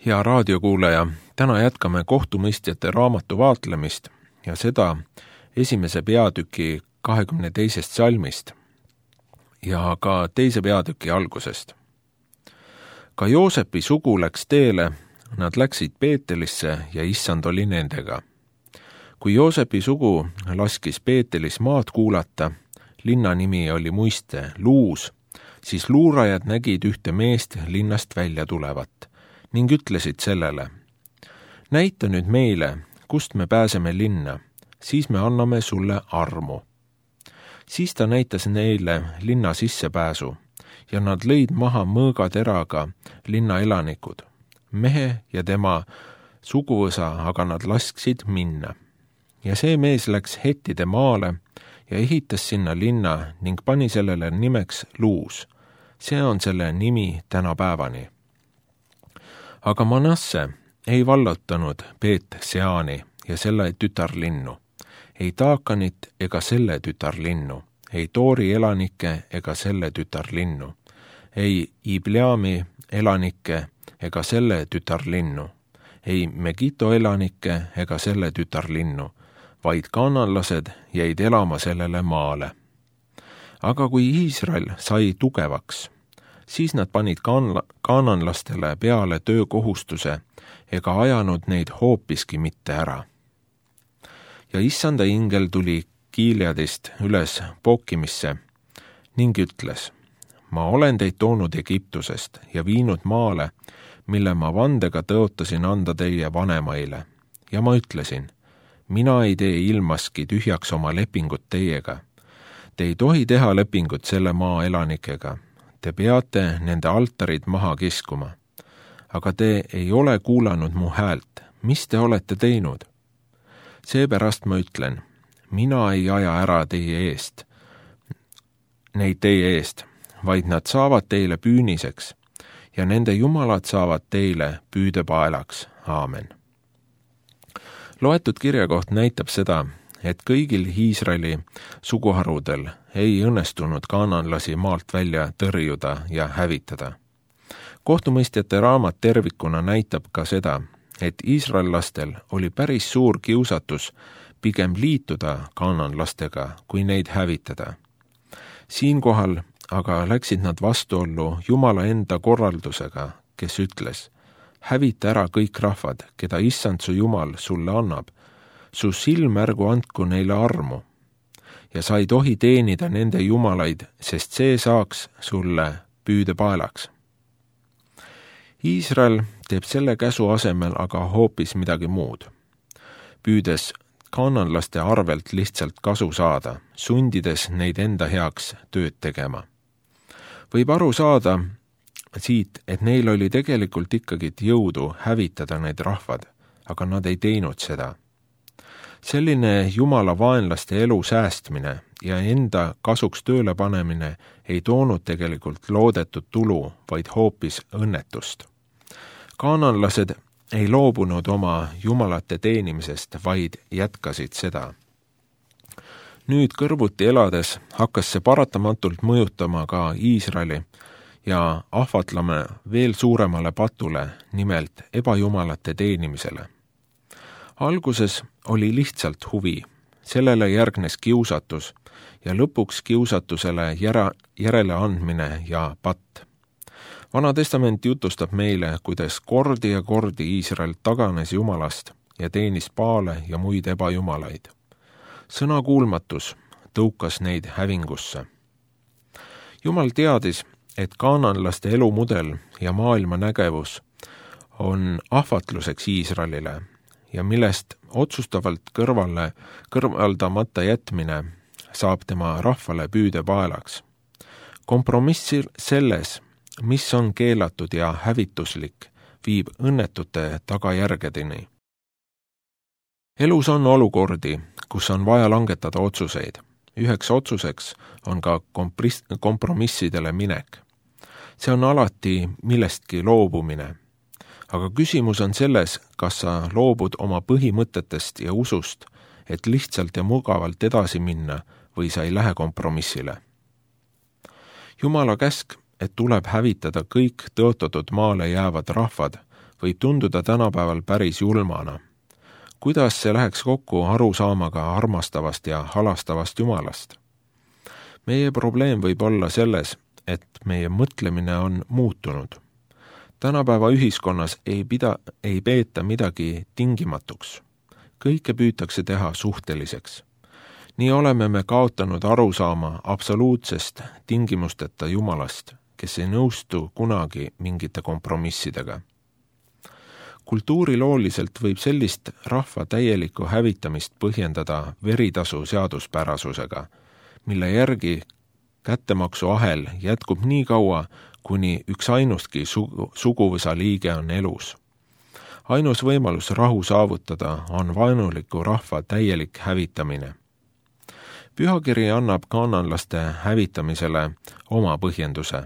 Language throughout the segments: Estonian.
Hea raadiokuulaja, täna jätkame kohtumõistjate raamatu vaatlemist ja seda esimese peatüki 22. salmist ja ka teise peatüki algusest. Ka Joosepi sugu läks teele, nad läksid Peetelisse ja issand oli nendega. Kui Joosepi sugu laskis Peetelis maad kuulata, linna nimi oli muiste Luus, siis luurajad nägid ühte meest linnast välja tulevat ning ütlesid sellele: näita nüüd meile, kust me pääseme linna, siis me anname sulle armu. Siis ta näitas neile linna sissepääsu ja nad lõid maha mõõgateraga linna elanikud, mehe ja tema suguvõsa, aga nad lasksid minna. Ja see mees läks Hettide maale ja ehitas sinna linna ning pani sellele nimeks Luus. See on selle nimi tänapäevani. Aga Manasse ei vallutanud Beet-Seani ja selle tütarlinnu, ei Taakanit ega selle tütarlinnu, ei Toori elanikke ega selle tütarlinnu, ei Ibleami elanikke ega selle tütarlinnu, ei Megito elanikke ega selle tütarlinnu, vaid kaananlased jäid elama sellele maale. Aga kui Iisrael sai tugevaks, siis nad panid kaananlastele peale töökohustuse ega ajanud neid hoopiski mitte ära. Ja issanda ingel tuli Gileadist üles Bookimisse ning ütles: ma olen teid toonud Egiptusest ja viinud maale, mille ma vandega tõotasin anda teie vanemaile. Ja ma ütlesin: mina ei tee ilmaski tühjaks oma lepingut teiega. Te ei tohi teha lepingut selle maa elanikega. Te peate nende altarid maha kiskuma. Aga te ei ole kuulanud mu häält. Mis te olete teinud? Seepärast ma ütlen: mina ei aja ära neid teie eest, vaid nad saavad teile püüniseks ja nende jumalad saavad teile püüdepaelaks. Aamen. Loetud kirjakoht näitab seda, et kõigil Iisraeli suguharudel ei õnnestunud kaananlasi maalt välja tõrjuda ja hävitada. Kohtumõistjate raamat tervikuna näitab ka seda, et iisraellastel oli päris suur kiusatus pigem liituda kaananlastega, kui neid hävitada. Siinkohal aga läksid nad vastuollu Jumala enda korraldusega, kes ütles: hävita ära kõik rahvad, keda issand su Jumal sulle annab. Su silmärgu andku neile armu ja sa ei tohi teenida nende jumalaid, sest see saaks sulle püüdepaelaks. Iisrael teeb selle käsu asemel aga hoopis midagi muud, püüdes kaananlaste arvelt lihtsalt kasu saada, sundides neid enda heaks tööd tegema. Võib aru saada siit, et neil oli tegelikult ikkagi jõudu hävitada need rahvad, aga nad ei teinud seda. Selline Jumala vaenlaste elu säästmine ja enda kasuks tööle panemine ei toonud tegelikult loodetud tulu, vaid hoopis õnnetust. Kaananlased ei loobunud oma jumalate teenimisest, vaid jätkasid seda. Nüüd kõrvuti elades hakkas see paratamatult mõjutama ka Iisraeli ja ahvatleme veel suuremale patule, nimelt ebajumalate teenimisele. Alguses oli lihtsalt huvi, sellele järgnes kiusatus ja lõpuks kiusatusele järele andmine ja patt. Vana testament jutustab meile, kuidas kordi ja kordi Iisrael taganes Jumalast ja teenis paale ja muid ebajumalaid. Sõnakuulmatus tõukas neid hävingusse. Jumal teadis, et kaananlaste elumudel ja maailma nägevus on ahvatluseks Iisraelile ja millest otsustavalt kõrvaldamata jätmine saab tema rahvale püüdepaelaks. Kompromissi selles, mis on keelatud ja hävituslik, viib õnnetute tagajärgedeni. Elus on olukordi, kus on vaja langetada otsuseid. Üheks otsuseks on ka kompromissidele minek. See on alati millestki loobumine. Aga küsimus on selles, kas sa loobud oma põhimõtetest ja usust, et lihtsalt ja mugavalt edasi minna või sa ei lähe kompromissile. Jumala käsk, et tuleb hävitada kõik tõotatud maale jäävad rahvad, võib tunduda tänapäeval päris julmana. Kuidas see läheks kokku arusaamaga armastavast ja halastavast Jumalast? Meie probleem võib olla selles, et meie mõtlemine on muutunud. Tänapäeva ühiskonnas ei peeta midagi tingimatuks. Kõike püütakse teha suhteliseks. Nii oleme me kaotanud arusaama absoluutsest tingimusteta Jumalast, kes ei nõustu kunagi mingite kompromissidega. Kultuurilooliselt võib sellist rahva täielikku hävitamist põhjendada veritasu seaduspärasusega, mille järgi kättemaksuahel jätkub nii kaua, kuni üks ainustki suguvõsa liige on elus. Ainus võimalus rahu saavutada on vaenuliku rahva täielik hävitamine. Pühakiri annab kaananlaste hävitamisele oma põhjenduse.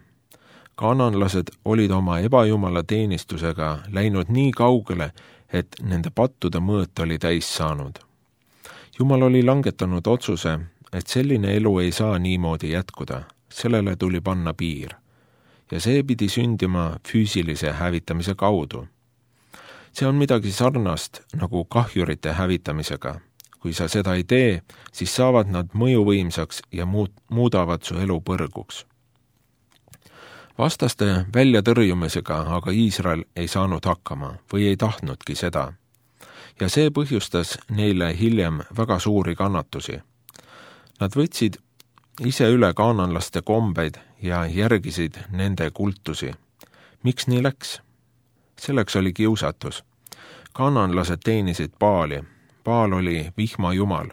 Kaananlased olid oma ebajumala teenistusega läinud nii kaugele, et nende pattude mõõt oli täis saanud. Jumal oli langetanud otsuse, et selline elu ei saa niimoodi jätkuda, sellele tuli panna piir. Ja see pidi sündima füüsilise hävitamise kaudu. See on midagi sarnast nagu kahjurite hävitamisega. Kui sa seda ei tee, siis saavad nad mõjuvõimsaks ja muudavad su elu põrguks. Vastaste väljatõrjumisega aga Iisrael ei saanud hakkama või ei tahtnudki seda. Ja see põhjustas neile hiljem väga suuri kannatusi. Nad võtsid ise üle kaananlaste kombeid ja järgisid nende kultusi. Miks nii läks? Selleks oli kiusatus. Kaananlased teenisid Baali. Baal oli vihma jumal.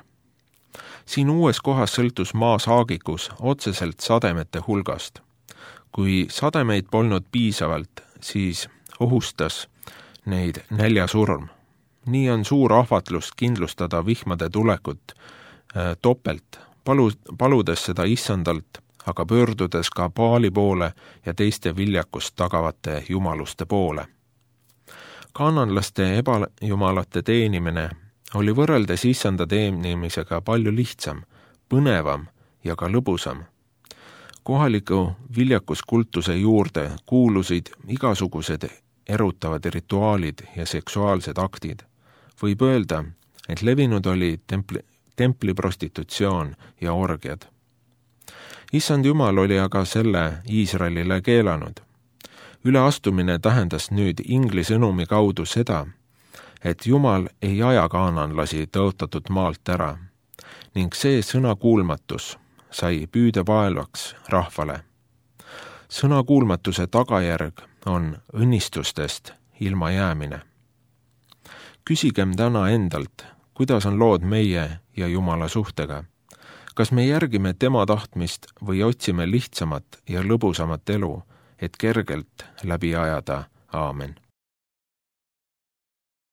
Siin uues kohas sõltus maa saagikus otseselt sademete hulgast. Kui sademeid polnud piisavalt, siis ohustas neid näljasurm. Nii on suur ahvatlus kindlustada vihmade tulekut topelt, paludes seda issandalt, aga pöördudes ka Baali poole ja teiste viljakust tagavate jumaluste poole. Kaananlaste ebajumalate teenimine oli võrreldes issanda teenimisega palju lihtsam, põnevam ja ka lõbusam. Kohaliku viljakuskultuse juurde kuulusid igasugused erutavad rituaalid ja seksuaalsed aktid. Võib öelda, et levinud oli templiprostitutsioon ja orgiad. Issand Jumal oli aga selle Iisraelile keelanud. Üleastumine tähendas nüüd ingli sõnumi kaudu seda, et Jumal ei aja kaananlasi tõotatud maalt ära ning see sõnakuulmatus sai püüdevaelvaks rahvale. Sõnakuulmatuse tagajärg on õnnistustest ilma jäämine. Küsigem täna endalt, kuidas on lood meie ja Jumala suhtega. Kas me järgime tema tahtmist või otsime lihtsamat ja lõbusamat elu, et kergelt läbi ajada? Aamen.